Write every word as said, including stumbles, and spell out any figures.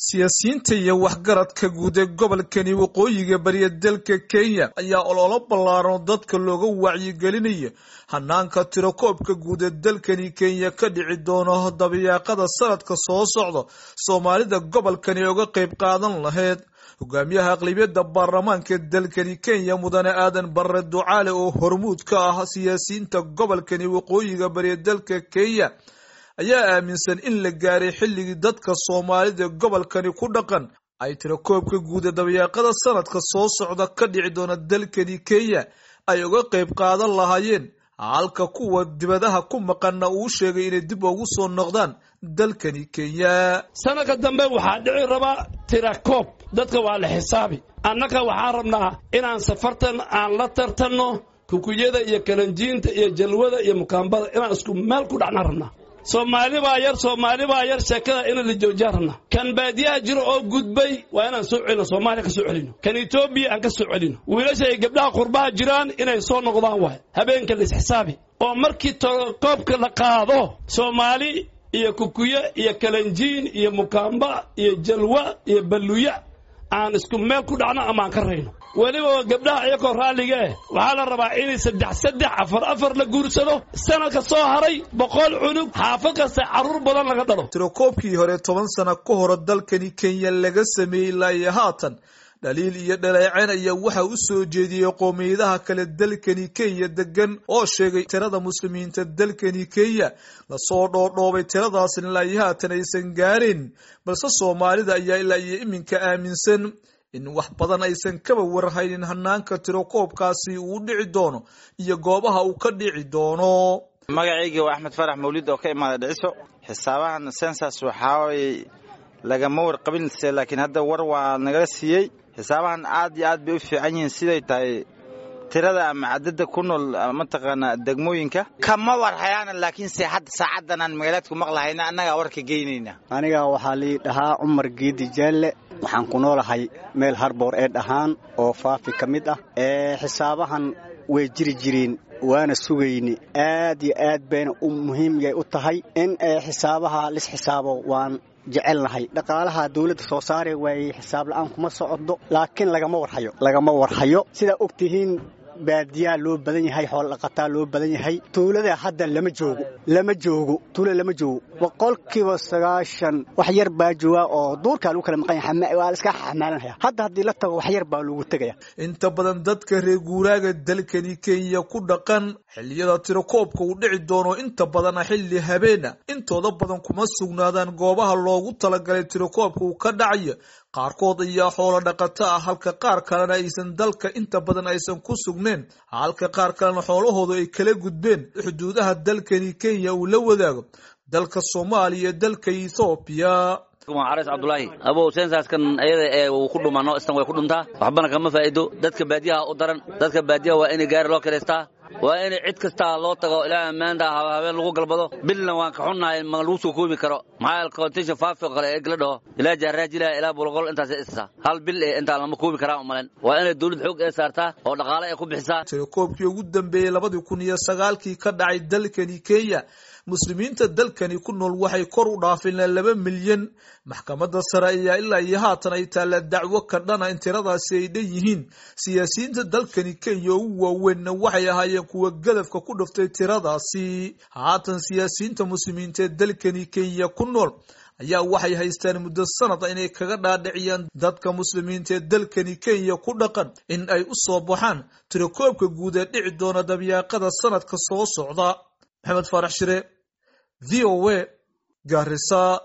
Siyaasiyiinta iyo waxgaradka guud ee gobolkani waqooyiga bariya dalka Kenya ayaa ololo ballaaran oo dadka looga wacyigelinayo hanaanka tirakoobka guud ee dalkani Kenya ka dhici doono dabayaaqada sanadka soo socda Soomaalida gobolkani uga qayb qaadan lahayd. Hogaamiyaha aqlabiyadda baarlamaanka dalkani Kenya, Mudane Aadan Barre Ducaale, oo hormuud ka ah siyaasiyiinta gobolkani waqooyiga bariya dalka Kenya, ayaa aaminsan in la gaaray xilligii dadka Soomaalida gobolkani ku dhaqan ay tirakoobka guud ee dabayaaqada sanadka soo socda ka dhici doona dalkani Kenya ay uga qayb qaadan lahaayeen, halka kuwa dibadaha ku maqanna uu sheegay inay dib ugu soo noqdaan dalkani Kenya. Sanadka dambe waxaa dhici rabaa tirakoob, dadka waa la xisaabi. Annaga waxaan rabnaa inaan safartan aan la tartanno kukuyada iyo kalanjiinta iyo jalwada iyo mukaambada, inaan isku meel ku dhacnaan rabnaa. Soomaali baa yar, Soomaali baa yar, sheekada in la joojiyaan rabnaa. Kan baadiyaha jiro oo gudbay waa inaan soo celino, Soomaaliya ka soo celino, kan Etoobiya aan ka soo celino. Wiilasha ay gabdhaha qurbaha jiraan inay soo noqdaan waay. Habeenka la isxisaabi oo markii koobka la qaado, Soomaali iyo kukuye iyo kalanjiin iyo mukaamba iyo jalwa iyo balluya aan isku meel ku dhacno ama aan ka rayno. Weliba gabdhaha iyakoo raalliga eh waxaa la rabaa inay saddex saddex, afar afar la guursado. Sanadka soo haray boqol cunug xaafad kasta carruur badan laga dhalo. Tirakoobkii hore toban sano ka hore dalkani Kenya laga sameeyey ilaa iyo haatan dhaliil iyo dhaleeceen ayaa waxa u soo jeediyey qoomiyadaha kale dalkani Kenya degan, oo sheegay tirada muslimiinta dalkani Kenya lasoo dhoodhoobay tiradaasna ilaa iyo haatan aysan gaarin. Balse Soomaalida ayaa ilaa iyo iminka aaminsan in wax badan aysan kaba warhaynin hanaanka tirakoobkaasi uu dhici doono iyo goobaha uu ka dhici doono. Magacayga waa Axmed Farax Mawlid oo ka imaada Dhiciso. Xisaabahan sensas waxaa lagama warqabin, laakiin hadda war waa nagala siiyey. Xisaabahan aad iyo aad bay u fiican yihiin, siday tahay tirada ama cadada ku nool mataqaanaa degmooyinka kama warhayaana, laakiinse hadda saacadan aan magaalaadku maqlahayna annagaa warka geynayna. Aniga waxaa lii dhahaa Cumar Geedi Jaalle, waxaan ku noolahay meel Harboor ee dhahaan oo Faafi ka mid ah. Ee xisaabahan way jiri jireen, waana sugayni, aad iyo aad bayna u muhiim yay u tahay in xisaabaha lis xisaabo. Waan jecelnahay dhaqaalaha dawladda soo saari waayey, xisaab la'aan kuma socdo, laakiin lagama warhayo, lagama warhayo. Sidaa og tihiin, baadiyaa loo badan yahay, xoolo dhaqataa loo badan yahay. Tuulada hadda lama joogo, lama joogo tuulada lama joogo. Boqolkiiba sagaashan wax yar baa jooga oo duurkaa lagu kala maqan yahay, waa la iska xamaalanaya. Hadda haddii la tago wax yar baa loogu tegaya. Inta badan dadka reer guuraaga dalkani Kenya ku dhaqan xilliyada tirakoobka uu dhici doono, inta badana xilli habeena, intooda badan kuma sugnaadaan goobaha loogu talagalay tirakoobka uu ka dhacayo. Qaarkood ayaa xoolo dhaqato ah, halka qaar kalena aysan dalka inta badan aysan ku sugneen, halka qaar kalena xoolahoodu ay kala gudbeen xuduudaha dalkani Kenya uu la wadaago dalka Soomaaliya iyo dalka Ethoobiya. Xares Cabdulaahi abow, sensaskan ayada ee uu ku dhumano istan way ku dhuntaa, waxbana kama faa'iido. Dadka baadiyaha u daran, dadka baadiyaha waa inay gaari loo kireystaa, waa in cid kastaa loo tago ilaa maanta habeen lagu galbado. Bilna waan ka xunnahay, ma lagu soo koobi karo. Maxaa kontisha Faafi oo kale eeg la dhaho ilaa Jaaraajila ilaa Bulqol intaas isa hal bil ee intaa lama koobi karaa umalen. Waa inay dawlad xoog ee saartaa oo dhaqaale ay ku bixisaa. Tirakoobkii ugu dambeeyey labadii kun iyo sagaalkii ka dhacay dalkani Kenya, muslimiinta dalkani ku nool waxay kor u dhaafeen laba milyan. Maxkamadda sare ayaa ilaa iyo haatan ay taalla dacwo ka dhana in tiradaasi ay dhan yihiin. Siyaasiyiinta dalkani Kenya ugu waaweynna waxay ahaayeen kuwa gadafka ku dhuftay tiradaasi. Haatan siyaasiyiinta muslimiinta ee dalkani Kenya ku nool ayaa waxay haystaan muddo sanad inay kaga dhaadhiciyaan dadka muslimiinta ee dalkani Kenya ku dhaqan in ay u soo baxaan tirakoobka guud ee dhici doona dabyaaqada sanadka soo socda. Maxamed Faarax Shire, V O A, Garissa.